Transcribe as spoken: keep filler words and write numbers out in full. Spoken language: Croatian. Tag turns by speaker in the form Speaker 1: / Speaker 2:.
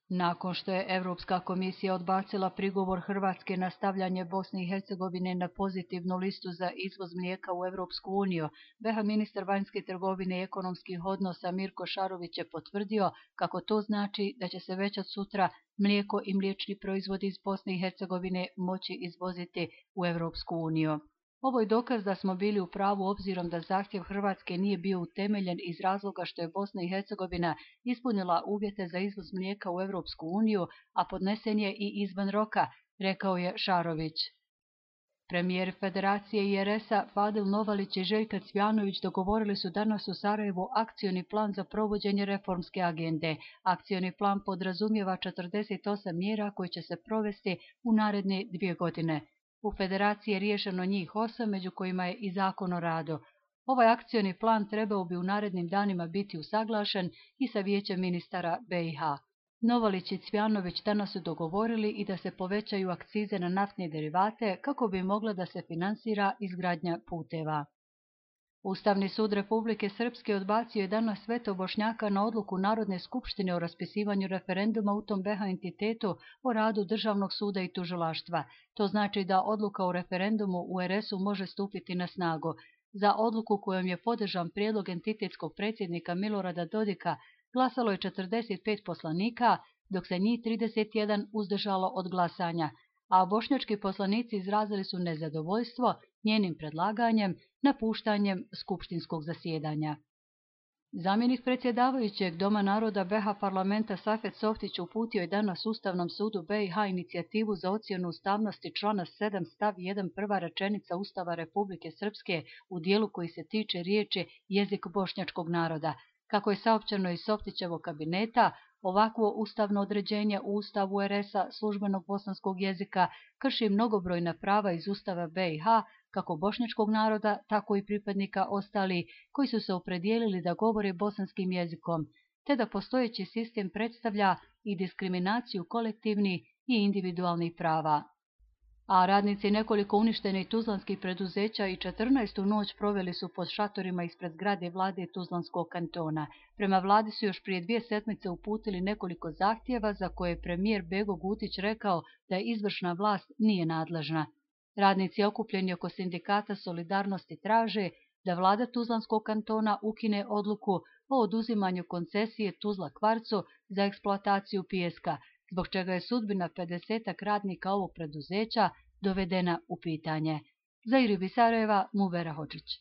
Speaker 1: Nakon što je Europska komisija odbacila prigovor Hrvatske na stavljanje Bosne i Hercegovine na pozitivnu listu za izvoz mlijeka u Europsku uniju, be ha ministar vanjske trgovine i ekonomskih odnosa Mirko Šarović je potvrdio kako to znači da će se već od sutra mlijeko i mliječni proizvodi iz Bosne i Hercegovine moći izvoziti u Europsku uniju. Ovo je dokaz da smo bili u pravu obzirom da zahtjev Hrvatske nije bio utemeljen iz razloga što je Bosna i Hercegovina ispunila uvjete za izvoz mlijeka u Europsku uniju, a podnesen je i izvan roka, rekao je Šarović. Premijer Federacije I R S-a Fadil Novalić i Željka Cvjanović dogovorili su danas u Sarajevu akcioni plan za provođenje reformske agende. Akcioni plan podrazumijeva četrdeset osam mjera koje će se provesti u naredne dvije godine. U Federaciji je riješeno njih osam, među kojima je i Zakon o radu. Ovaj akcioni plan trebao bi u narednim danima biti usaglašen i sa Vijećem ministara be i ha. Novalić i Cvjanović danas su dogovorili i da se povećaju akcize na naftne derivate kako bi mogla da se finansira izgradnja puteva. Ustavni sud Republike Srpske odbacio je danas veto Bošnjaka na odluku Narodne skupštine o raspisivanju referenduma u tom be ha entitetu o radu Državnog suda i tužilaštva. To znači da odluka o referendumu u er es u može stupiti na snagu. Za odluku kojom je podržan prijedlog entitetskog predsjednika Milorada Dodika glasalo je četrdeset pet poslanika, dok se njih trideset jedan uzdržalo od glasanja, a bošnjački poslanici izrazili su nezadovoljstvo njenim predlaganjem, napuštanjem skupštinskog zasjedanja. Zamjenik predsjedavajućeg Doma naroda be ha parlamenta Safet Softić uputio je danas Ustavnom sudu be i ha inicijativu za ocjenu ustavnosti člana sedam stav jedan prva rečenica Ustava Republike Srpske u dijelu koji se tiče riječi jezik bošnjačkog naroda. Kako je saopćeno iz Softićevog kabineta, ovakvo ustavno određenje u Ustavu er es-a službenog bosanskog jezika krši mnogobrojna prava iz Ustava be i ha, kako bošnjačkog naroda, tako i pripadnika ostalih koji su se opredijelili da govore bosanskim jezikom, te da postojeći sistem predstavlja i diskriminaciju kolektivnih i individualnih prava. A radnici nekoliko uništenih tuzlanskih preduzeća i četrnaestu noć proveli su pod šatorima ispred zgrade vlade Tuzlanskog kantona. Prema vladi su još prije dvije sedmice uputili nekoliko zahtjeva za koje je premijer Bego Gutić rekao da izvršna vlast nije nadležna. Radnici okupljeni oko sindikata Solidarnosti traže da vlada Tuzlanskog kantona ukine odluku o oduzimanju koncesije Tuzla Kvarcu za eksploataciju pijeska, zbog čega je sudbina pedesetak radnika ovog preduzeća dovedena u pitanje. Za Iribi Sarajeva, Muvera Hodžić.